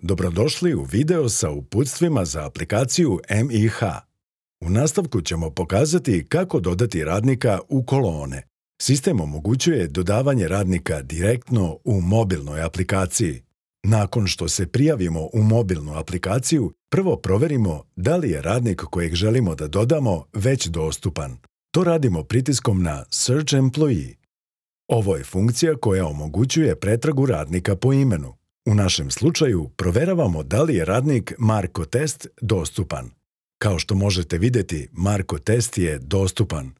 Dobrodošli u video sa uputstvima za aplikaciju MIH. U nastavku ćemo pokazati kako dodati radnika u kolone. Sistem omogućuje dodavanje radnika direktno u mobilnoj aplikaciji. Nakon što se prijavimo u mobilnu aplikaciju, prvo proverimo da li je radnik kojeg želimo da dodamo već dostupan. To radimo pritiskom na Search Employee. Ovo je funkcija koja omogućuje pretragu radnika po imenu. U našem slučaju proveravamo da li je radnik Marko Test dostupan. Kao što možete vidjeti, Marko Test je dostupan.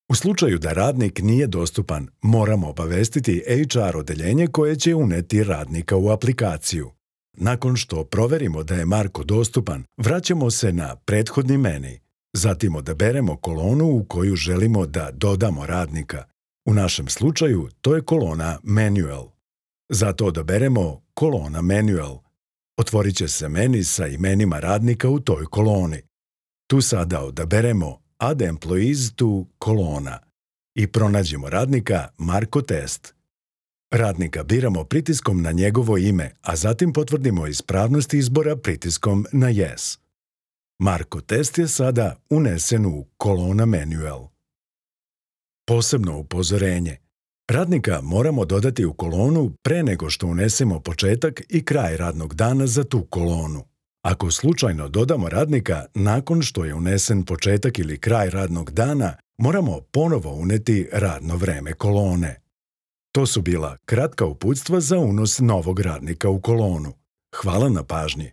U slučaju da radnik nije dostupan, moramo obavestiti HR odeljenje koje će uneti radnika u aplikaciju. Nakon što proverimo da je Marko dostupan, vraćamo se na prethodni meni. Zatim odaberemo kolonu u koju želimo da dodamo radnika. U našem slučaju to je kolona Manual. Zato odaberemo kolona Manual. Otvorit će se meni sa imenima radnika u toj koloni. Tu sada odaberemo Add Employees to kolona i pronađemo radnika Marko Test. Radnika biramo pritiskom na njegovo ime, a zatim potvrdimo ispravnost izbora pritiskom na Yes. Marko Test je sada unesen u kolona Manual. Posebno upozorenje. Radnika moramo dodati u kolonu pre nego što unesemo početak i kraj radnog dana za tu kolonu. Ako slučajno dodamo radnika nakon što je unesen početak ili kraj radnog dana, moramo ponovo uneti radno vreme kolone. To su bila kratka uputstva za unos novog radnika u kolonu. Hvala na pažnji.